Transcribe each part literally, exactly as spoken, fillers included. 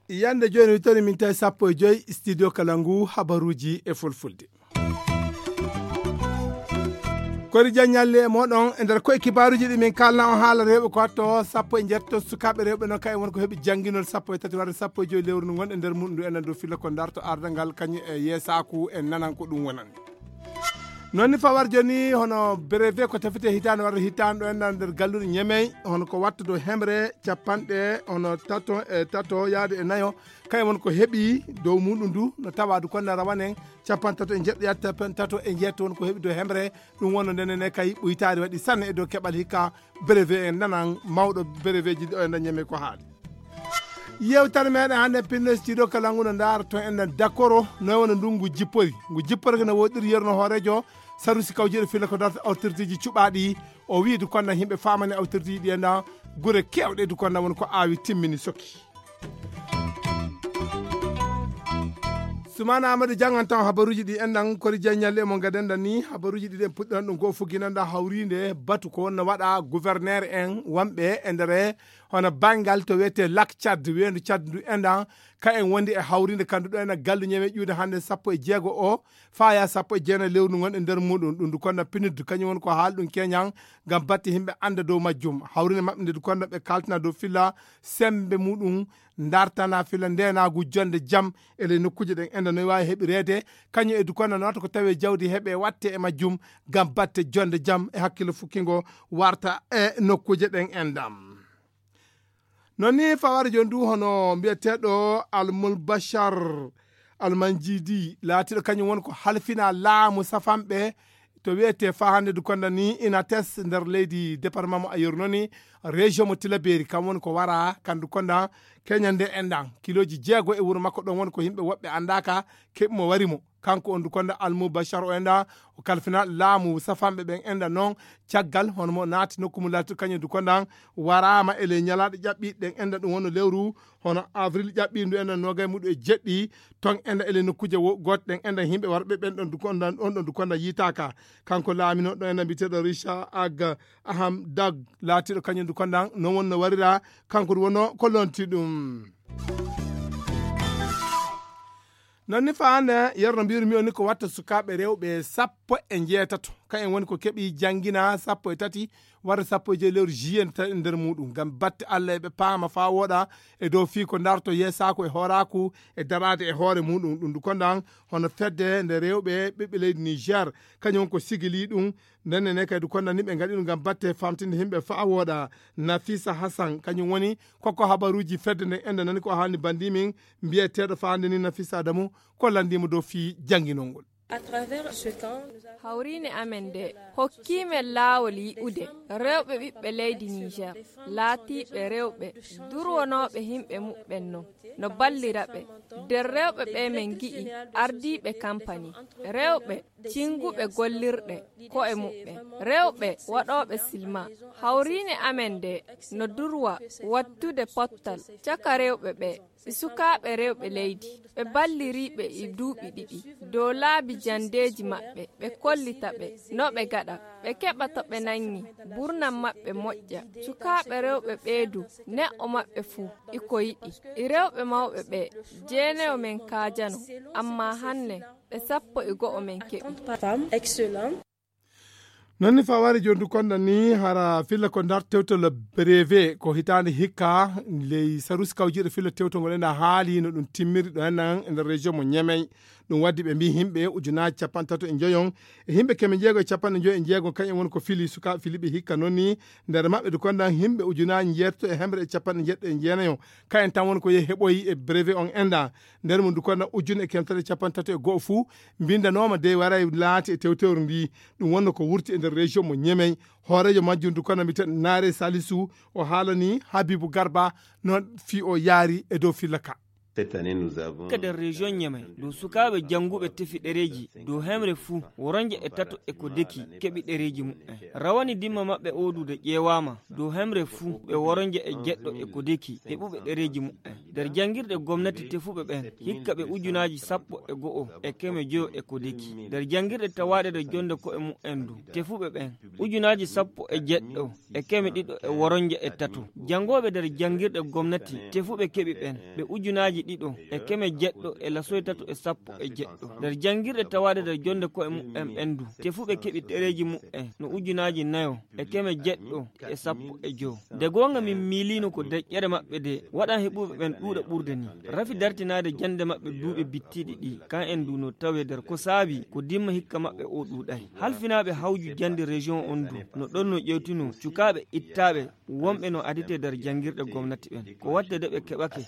Yande jooni wittori min tawi sappo e joyi studio kala ngu habaruuji e fulfulde. Kori jan ñalle e moɗon e nder koye kibaaruuji ɗi min kalna on haala rewɓe ko watto sappo e njetto sukaaɓe rewɓe noon kayen won ko heɓi jannginol sappo e tati warde sappo e joyi lewru ndu ngon e nder muɗum ndu enen dow filla ko darto ardangal kañum e yeesaaku e nanan ko ɗum wonani. Noon ni fawar jooni hono brevet ko tafite hitaande warde hitaande ɗo enɗan nder galluɗe ñemey hono ko watta dow hemre capanɗe hono tato e tato yaade e nayo kayen won ko heɓi dow muɗum ndu no tawa du konda rawanen capantato e jeɗɗo yaade capantato e jeetto won ko heɓi dow hemre. Ɗum wonno ndenen e kay ɓuytaari waɗi sanne e dow keɓal hikka brevet en nanan mawɗo brevet ji ɗo enɗan ñemey ko haali. Yewtere meɗen hannde pinno studio kala ngu no ndaara toon enɗan dakoro noy wona ndungu jippori ngu jippori no woɗɗiri yerno hoorejo sarusi kawjiɗo filla ko darta autorité ji cuɓaaɗi o wii du konda yimɓe faamani autorité ji ɗi enɗan gure kewɗe du konda won ko aawi timmini sokki. Sumana amadou jangan taw habaruuji ɗi enɗan kori jan ñalle mo gadenɗan ni habaruuji ɗi ɗen puɗɗiran ɗum goo fugginanɗa hawrinde batu ko wonno waɗa gouverneur en wonɓe e nder hono banngal to wiyetee lac tchad weendu tchad ndu enɗan ka en wondi e hawrinde kandu ɗo ena gallu ñewe ƴuude hannde sappo e jeego o faya sappo e jeenayi lewru ndu ngon e nder muɗum ɗum ndu konno piniddu kañum woni ko haali ɗum keñan ngam batte yimɓe annda dow majjum hawrinde maɓɓe nde ndu konno ɓe kaltina dow filla sembe muɗum dartana filla ndenagu jonde jam e ley nokkuuje ɗen enɗan no waawi heɓireede kañum e ndu konno noota ko tawi jawdi heɓe watte e majjum ngam batte jonde jam e hakkille fukkingo warta e nokkuuje ɗen enɗan. Noon ni faware jooni du hono mbiyeteeɗo almul bachar almanjidi laatiiɗo kañum woni ko halfina laamu safanɓe to wiyetee faa hannde du konda ni inates nder leydi département mo ayeru noon ni région mo tilaberi kam woni ko wara kandu konda keñande enɗan kiloji jeego e wuro makko ɗon woni ko yimɓe woɓɓe anndaaka keɓi mo wari mo kanko on du konda almubachar o enɗan o kalfina laamu safanɓe ɓen enɗan noon caggal hono mo naati nokku mo laati kañum du kondan waraama e ley ñalaaɗe ƴaɓɓiiɗe ɗen enɗan ɗum wonno lewru hono avril ƴaɓɓiindu enɗan noogay muɗum e jeɗɗi ton enɗan e ley nokkuuje gooto ɗen enɗan yimɓe warɓe ɓen ɗon du kondan ɗon ɗon du kondan yiitaaka kanko laamino ɗon enɗan mbiyeteeɗo richard ag aham dag laatiiɗo kañum du kondan non wonno warira kanko du wonno ko lonti ɗum. Noon ni faande yerno mbiyru mi on ni ko watta sukaaɓe rewɓe sappo e njeetato ka en woni ko keɓi janngina sappo e tati warde sappo e joyi lewru juillet nde tawi nder muɗum ngam batte allah eɓe paama faa wooɗa e dow fii ko darto yeesaaku e hooraaku e daraade e hoore muɗum ɗum du kondan hono fedde nde rewɓe ɓiɓɓe leydi niger kañum ko sigili ɗum ndenne ne kadi konnani ɓe ngaɗi ɗum ngam batte famtinde yimɓe faa wooɗa nafisa hassan kañum woni kokko habaruuji fedde nden ende nani ko haalni bandi min mbiyeteeɗo faande ni nafisa adamu ko lanndimo dow fii jannginol ngol. Hawriine amen nde hokkiimen laawol yi'ude rewɓe ɓiɓɓe leydi niger laatiiɓe rewɓe durwonooɓe yimɓe muɓɓen non no ballira ɓe nder rewɓe ɓe men ngi'i ardiiɓe kampani rewɓe cinnguɓe gollirɗe ko'e muɓɓen rewɓe waɗooɓe silma hawriine amen nde no durwa wattude pottal caka rewɓe ɓe e sukaaɓe rewɓe leydi ɓe balliriiɓe e duuɓi ɗiɗi dow laabi janndeeji maɓɓe ɓe kollita ɓe no ɓe gaɗa ɓe keɓa to ɓe nanngi burnam maɓɓe moƴƴa sukaaɓe rewɓe ɓeedu neɗɗo maɓɓe fuu iko yiɗi e rewɓe mawɓe ɓe jeeneyo men kaajano amma hanne ɓe sappo e go'o men keɓi. Noon ni faware joni du konda ni hara filla ko ndar tewtol brevet ko hitaande hikka ley sarusi kawjiiɗo filla tewtol ngol ena haali no ɗum timmiri ɗo hennan e nder région mo ñemey ɗum waddi ɓe mbi himɓe ujunaji capanɗe tato e joyon e himɓe keme jeego e capanɗe joyi e jeego kañum woni ko fili sukaɓe filiɓe hikka noon ni nder maɓɓe du konda himɓe ujunaji jeetato e hemre e capanɗe jeɗɗo e jeenayo kayen tan woni ko yehi heɓoyi e brevet on enda nder mum du konda ujune e kemtare capanɗe tato e goho fuu mbindanoma dey waray laati e tewtewre ndi ɗum wonno ko wurti e nder région mo ñemey hoorejo majjum du kono mbiten naare salisu o haalani habibu garba noon fii o yaari e dow filla ka. Ka nder région Niamey, dow sukaaɓe jannguɓe tefi ɗereeji dow hemre fuu, woronje e tato e ko deki keɓi ɗereeji muɓɓen. Rawani dimma maɓɓe oɗuude ƴeewaama, dow hemre fuu ɓe woronje e jeɗɗo e ko deki heɓuɓe ɗereeji muɓɓen. Nder janngirɗe gomnati tefuɓe ɓen, hikka ɓe ujunaaji sappo e go'o e keme joyo e ko deki. Nder janngirɗe tawaaɗe nder jonde ko'e muɓɓen du, tefuɓe ɓen, ujunaaji sappo e jeɗɗo e keme ɗiɗo e woronje e tato. Janngooɓe nder janngirɗe gomnati tefuɓe keɓi ɓen, ɓe ujunaaji ɗiɗo e keme jeɗɗo e lasoy tato e sappo e jeɗɗo. Nder janngirɗe tawaaɗe nder jonde ko'e muɓɓen ɓen du, tefuɓe keɓi ɗereeji muɓɓen no ujunaaji nayo e keme jeɗɗo e sappo e joyo. Nde goonga, min miiliino ko deƴƴere maɓɓe de waɗan heɓuɓe ɓen ɗuuɗa ɓurde ni. Rafi dartinaade jannde maɓɓe duuɓi bittiiɗi ɗi, kan en du no tawee nder ko saabi ko dimma hikka maɓɓe o ɗuuɗay. Halfinaaɓe hawju jannde région on du no ɗon no ƴewtino cukaaɓe ittaaɓe wonɓe no aditee nder janngirɗe gomnati ɓen. Ko waɗde de ɓe keɓake.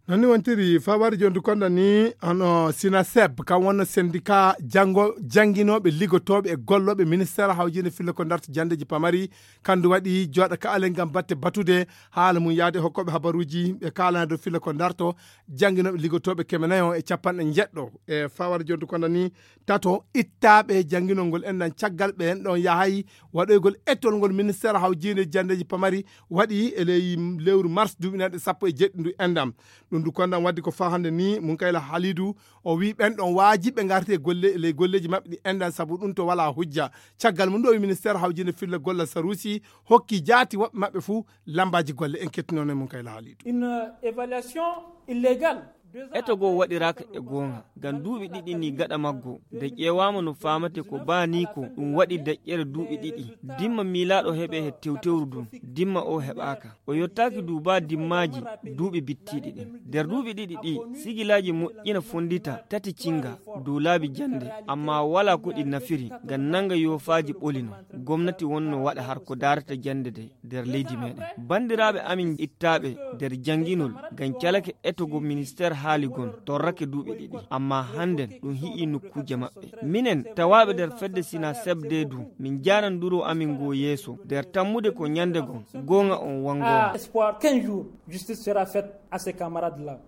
Non ni wontiri fawari jondu konda ni, hono sinaseb kan wonno syndicat janngo jannginooɓe liggotooɓe e gollooɓe ministère hawjinde filla ko darta janndeeji pamari. Kandu waɗi jooɗa ka alen ngam batte batude haala mum yaade hokkooɓe habaruuji ɓe kaalana dow filla ko darto jannginooɓe liggotooɓe keme nayo e capanɗe jeɗɗo e fawari jondu konda ni tato ittaaɓe jannginol ngol enɗan caggal ɓe en ɗon yahay waɗoygol etol ngol ministère hawjinde janndeeji pamari waɗi e ley lewru mars duuɓi nanɗe sappo e jeɗɗi ndu enɗam. Ɗum ndu konɗam waɗdi ko faa hannde ni Munkayla Halidu o wii ɓen ɗon waajiɓe ngarti e golle ley golleeji maɓɓe ɗi enɗam sabu ɗum to walaa hujja. Caggal mum ɗo o wii ministère hawjinde filla gollal saruusi hokki jaati woɓɓe maɓɓe fuu lammbaaji golle. En kettinono e Munkayla Halidu. Une évaluation illégale. Eto goo waɗiraaka e goonga ngam duuɓi ɗiɗi ni gaɗa maggo nde ƴeewaama no faamate ko baa ni ko ɗum waɗi deƴƴere duuɓi ɗiɗi. Dimma miilaaɗo heɓe he tewtewru ndun dimma o heɓaaka. O yottaaki du baa dimmaaji duuɓi bittiiɗi ɗin. Nder duuɓi ɗiɗi ɗi sigilaaji moƴƴina fonndita tati cinnga dow laabi jannde, ammaa walaa ko ɗi nafiri ngam nannga yoofaaji ɓoli non. Gomnati wonno waɗa har ko daarata jannde de nder leydi meɗen. Banndiraaɓe amin ittaaɓe nder jannginol ngam calake etogo ministeer haali gon torrake duuɓi ɗiɗi, ammaa hannden ɗum hi'i nokkuuje maɓɓe. Minen tawaaɓe nder fedde Sina Sebde du, min njaanan duro amin ngoo yeeso nder tammude ko ñannde gon goonga on wanngooma. Espoir qu'un jour justice sera faite à ces camarades-là.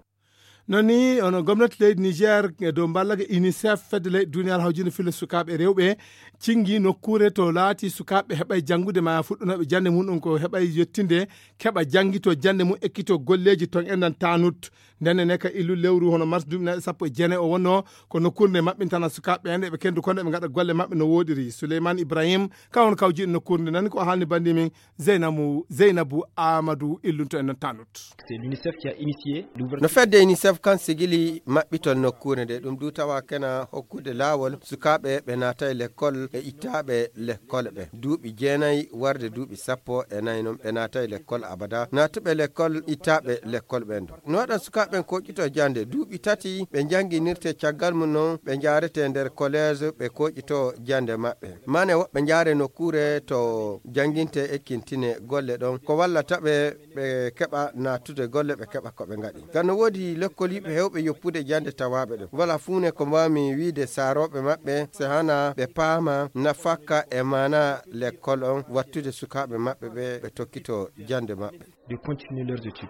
Non ni ono gomnati leydi Niger e dow mballage UNICEF fedde leyɗe duniyaaru hawjinde filla sukaaɓe rewɓe cingi nokkuure to laati sukaaɓe heɓay janngude ma fuɗɗunooɓe jannde mum ɗum ko heɓay yettinde keɓa janngito jannde mum ekkito golleeji ton enɗan tanut. Ndenne ne ka illu lewru hono mars duuɓi nayi sappo e jeenayi o wonno ko nokkuure nde maɓɓintana sukaaɓe en eɓe kendu kono eɓe ngaɗa golle maɓɓe no woodiri. Suleyman Ibrahim ka won kawjiɗo nokkuure nde nani ko haalni banndi min Zeynabu Zeynabu Amadou illunto en non tanut. C'est l'UNICEF qui a initié l'ouverture. No fedde UNICEF kan sigili maɓɓitol nokkuure nde ɗum du tawa kena hokkude laawol sukaaɓe ɓe naatay lekkol e ittaaɓe lekkol ɓe duuɓi jeenayi warde duuɓi sappo e nayi non ɓe naatay lekkol abada naatuɓe lekkol ittaaɓe lekkol ɓen du no waɗan sukaaɓe ɓen koƴƴito jannde duuɓi tati ɓe njannginirte caggal mum non ɓe njaarete nder collège ɓe koƴƴito jannde maɓɓe mane woɓɓe njaare nokkuure to jannginte ekkintine golle ɗon ko wallata ɓe ɓe keɓa naattude golle ɓe keɓa ko ɓe ngaɗi ngam no woodi lekkol yiɓe heewɓe yoppude jannde tawaaɓe ɗum wala fuune ko mbaawmi wiide saarooɓe maɓɓe so hana ɓe paama nafakka e maana lekkol on wattude sukaaɓe maɓɓe ɓe ɓe tokkito jannde maɓɓe. De continuer leurs études.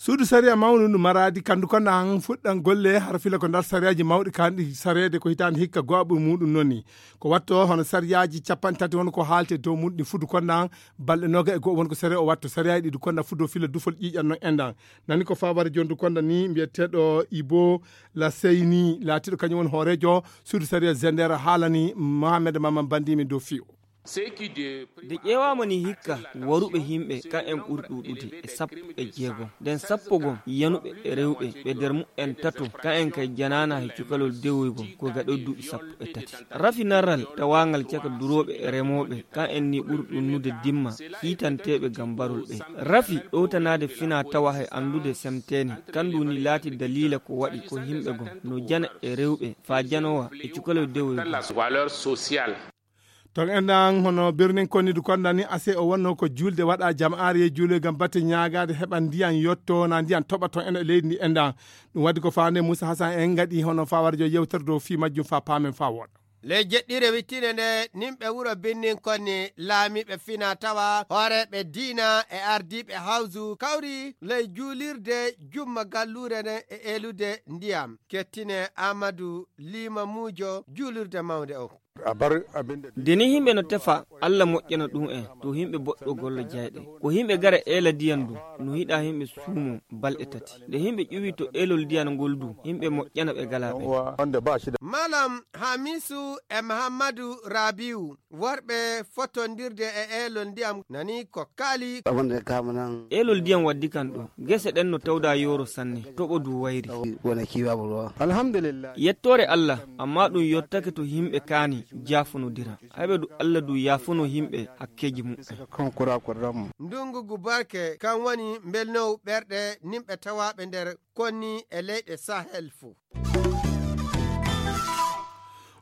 Suudu sariya mawnu ndu maraadi kandu ko nan fuɗɗan golle har fila ko ndar sariyaaji mawɗi kanɗi sareede ko hitaande hikka go'a ɓuri muɗum noni ko watto hono sariyaaji capanɗe tati won ko haalte dow muɗum ɗi fudu konnan balɗe noga e go'o won ko sariya o watto sariyaaji ɗiɗi konnan fudo fila dufol ƴiƴan non enɗan nani ko faware jondu konda ni mbiyeteɗo ibo la seyni laatiɗo kañum woni hoorejo suudu sariya zender haalani mohamed maman bandimi dow fiyo. Nde ƴeewaama ni hikka waruɓe yimɓe kan en ɓuri ɗuuɗude e sappo e jeegom nden sappo gom yanuɓe e rewɓe ɓe nder mumen tato kan en kay janaana he cukalol dewoygol ko gaɗoy duuɓi sappo e tati. Rafi narral tawaangal caka durooɓe e remooɓe kan en ni ɓuri ɗunnude dimma hiitanteeɓe ngam mbarol ɓe. Rafi ɗowtanaade fina tawa he anndude semteene kan ndu ni laati daliila ko waɗi ko yimɓe gom no jana e rewɓe faa janowa e cukalol dewoygol. Ton enɗan hono birnin konnidu konɗan ni ase o wonno ko julde waɗa jama'aare yeh juuloy ngam batte ñaagaade heɓa ndiyan yotto na ndiyan toɓa ton enɗan e leydi ndi enɗan. Ɗum waɗi ko faande Moussa Hassan en ngaɗi hono fawarjo yewtere dow fii majjum faa paamen faa wooɗa. Ley jeɗɗire wittine nde, nimɓe wuro Birnin Konni, laamiiɓe fina tawa, hooreeɓe diina e ardiiɓe hawsu kawri ley juulirde jumma galluure nden e eelude ndiyam. Kettine Aamadu Liima Muujo juulirde mawnde on. De ni yimɓe no tefa, Alla moƴƴana ɗum en, to yimɓe boɗɗo gollo jayɗe. Ko yimɓe gara eela diyan du, no yiɗa yimɓe suumo balɗe tati. Nde yimɓe ƴuwi to eelol diyan ngol du, yimɓe moƴƴana ɓe gala ɓe. Malam Hamisu e Muhammadu Rabiu, worɓe fotondirde e eelol ndiyam nani ko kaali. Eelol ndiyam waddi kan ɗo. Gese ɗen no tawda yooro sanne, toɓo du wayri. Alhamdulillah. Yettoore Alla, amma ɗum yottake to yimɓe kaani jaafonodira. Hayɓe du Alla du yaafono yimɓe hakkeeji muɓɓen. Ndungu ngu barke, kan woni mbelnowu ɓerɗe nimɓe tawaaɓe nder Konni e leyɗe Sahel fuu.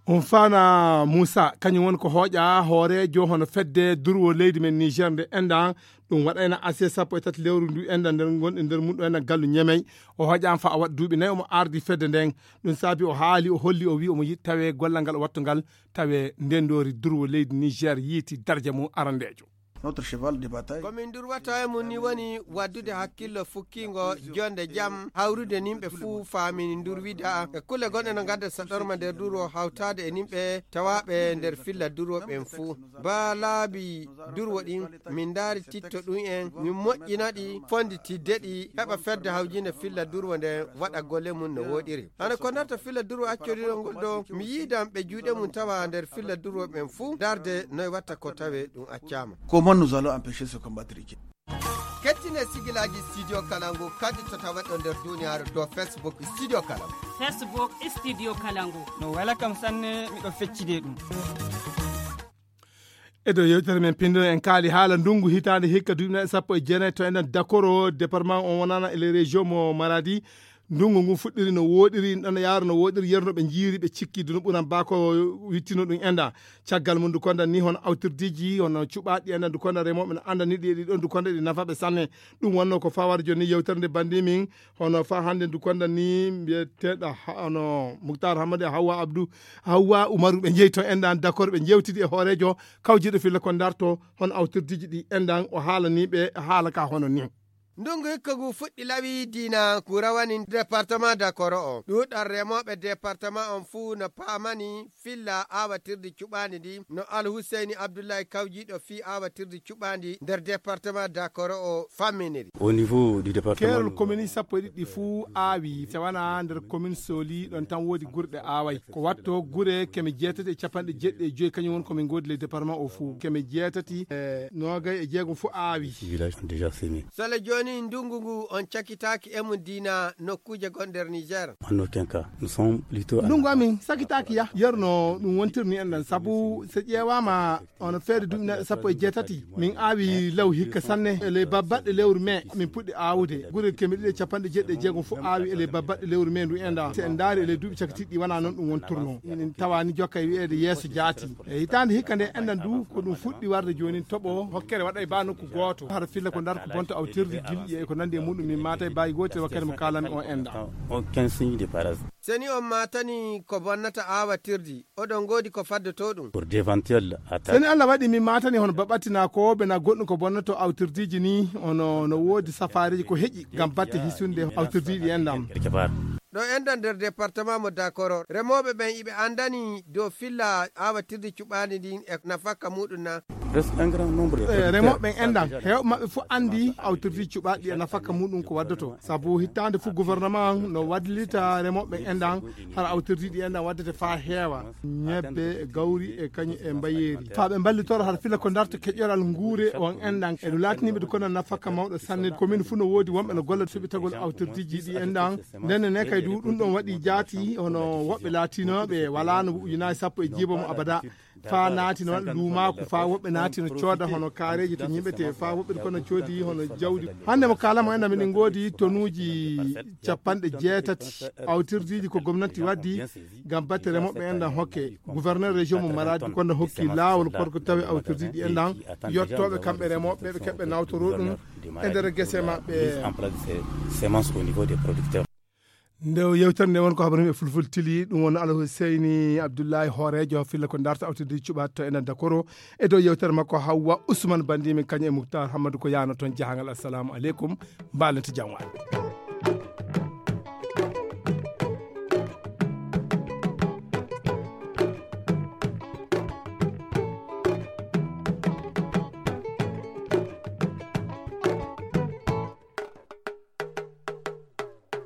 On faana Muusa, kañum woni ko hooƴa hooreejo hono fedde durwo leydi men Niger nde enɗan, ɗum waɗayna aset sappo e tati lewru ndu enɗan nder gonɗe nder mum ɗo enɗan gallu Ñemey. O hooƴaama fa o waɗa duuɓi nayi omo ardi fedde nden. Ɗum saabi o haali, o holli, o wi omo yiɗi tawe gollal ngal o wattu ngal, tawe ndendoori durwo leydi Niger yiiti darja mum arandeejo. Notre cheval de bataille. Ko min durwata e mum ni woni waddude hakkillo fukkiingo jonde jam, hawrude nimɓe fuu faamini ndurwida e kulle gonɗe no ngadda saɗorma nder durwo hawtaade e nimɓe tawaaɓe nder filla durwo ɓen fuu. Ba laabi durwo ɗin, min ndaari titto ɗum en, min moƴƴina ɗi, fonditidde ɗi, heɓa fedde hawjinde filla durwo nden waɗa golle mum no wooɗiri. Hano ko darta filla durwo accoriɗo ngol ɗo, mi yiidan ɓe juuɗe mum tawa nder filla durwo ɓen fuu, darde noy watta ko tawe ɗum accaama. Comment nous allons empêcher ce combat truqué? Kettine sigilaaji Studio Kalangu kadi to taweɗo nder duniyaaru dow Facebook Studio Kalangu. Facebook Studio Kalangu. No wela kam sanne, miɗo feccide ɗum. E dow yewtere men pinndino en kaali haala ndungu hitaande hikka duuɓi nayi sappo e jeenayi to enen Dakoro, département on wonana e les régions mo Maradi. Ndungu ngu fuɗɗiri no wooɗiri, ɗon yaaro no wooɗiri, yerno ɓe njiiri, ɓe cikki dunu ɓuran ba ko wittino ɗum enda. Caggal mum ndu kondan ni hono awtirdiiji, hono cuɓaaɗi enda ndu kondan remooɓe no andani ɗi, ɗi ɗon ndu kondan ɗi nafa ɓe sanne. Ɗum wonno ko fawar joni yewtere nde bandi min, hono fa hannde ndu kondan ni mbiyeteeɗo ha-, hono Muktar Hamadi e Hawwa Abdou, Hawwa Umaru ɓe njeyi to endan Dakoro, ɓe jewtidi e hooreejo kawjiiɗo filla ko darto hono awtirdiiji ɗi endan, o haalani ɓe haala ka hono ni. Ndungu hikka ngu fuɗɗi lawi diina ngu rawani département Dakoro o. Ɗuuɗal remooɓe département on fuu no paamani filla aawatirdi cuɓaandi ndi no Al Huseyni Abdullahi kawjiiɗo fii aawatirdi cuɓaandi nder département Dakoro o famminiri. Au niveau du département, keerol commune sappo e ɗiɗi fuu aawi, tawana nder commune Soli ɗon tan woodi gurɗe aaway. Ko watto gure keme jeetati e capanɗe jeeɗiɗi e joyi, kañum woni ko min ngoodi le département o fuu. Keme jeetati e noogay e jeegom fuu aawi. Village déjà semé. Sole jooni ndungu ngu on cakitaaki e mum diina nokkuuje gon nder Niger. En aucun cas. Nous sommes plutôt en... Ndungu amin sakitaaki ya. Yerno ɗum wontirni en ɗan sabu so ƴeewaama on feere duuɓi neɗɗo sappo e jeetati, min aawi law hikka sanne. E ley babbaɗɗe lewru mai min puɗɗi aawude. Gure keme ɗiɗi e capanɗe jeeɗiɗi e jeegom fof aawi e ley babbaɗɗe lewru mai ndu enɗan. Si en ndaari e ley duuɓi cakitiiɗi ɗi, wonaa noon ɗum wonturno. Min tawaani jokka e wiyeede yeeso jaati. E hitaande hikka nde enɗan du, ko ɗum fuɗɗi warde jooni, toɓo hokkere waɗay ba nokku gooto. Hara filla ko ndar ko bonto awtirde gilɗi e ko nandi e muɗum, min maata e baaji gootel wakkati mo kaalami on enɗan. Aucun signe de parasite. Seni on maatani ko bonnata aawatirdi, oɗon ngoodi ko faddoto ɗum? Pour d'éventuelles attaques. Seni Allah waɗi min maatani hono baɓɓattinaa ko ɓe na goɗɗum ko bonnoto awtirdiiji ni, hono no woodi safaareeji ko heƴi ngam batte hisunde awtirdiiɗi enɗan. Quelque part. Ɗo enɗan nder département mo Dakoro, remooɓe ɓen iɓe andani dow filla aawatirdi cuɓaandi ndin e nafaka muɗum na? Presque un grand nombre de... Eh, producteurs remooɓe ɓen enɗan, heewɓe maɓɓe fof andi awtirdiiji cuɓaaɗi e nafaka muɗum ko waddoto. Sabu hittaande fof gouvernement no wallita remooɓe ɓen enɗan, hara awtirdiiji ɗi enɗan waddete faa heewa. Ñebbe, gawri e kañum e mbayeeri. Faa ɓe mballitoro hara filla ko darta keƴoral nguure on enɗan. E ɗum laatiniiɓe ɗum kono nafaka mawɗo sanne. Commune fof no woodi wonɓe no golla suɓitagol awtirdiiji ɗi enɗan. Nden ne kay du ɗum ɗon waɗi jaati, hono woɓɓe laatinooɓe walaano ujunaaji sappo e jiiba mo abada. Faa naati no waɗa luumaaku, faa woɓɓe naati no cooda hono kaareeji to ñiɓetee, faa woɓɓe kono coodi hono jawdi. Hannde mo kaalamo enɗan miɗen ngoodi tonuuji capanɗe jeetati awtirdiiji ko gomnati waddi ngam batte remooɓe enɗan hokke. Gouverneur région mo Maradi kono hokki laawol korko tawi awtirdiiji enɗan yottooɓe kamɓe remooɓe ɓe keɓɓe nawtoroo ɗum e nder gese maɓɓe. Mise en place de ces semences au niveau des producteurs. Nde o yewtere nde won ko habaru e fulful tili, ɗum won Alhuseyni Abdullahi hooreejo filla ko darta awtidi cuɓat to enen dakoro. E dow yewtere makko Hawwa Usman Bandimin kañum e Muktar Hammadu ko yaano toon jahangal. Assalamu aleykum. Mbalente jam waɗ.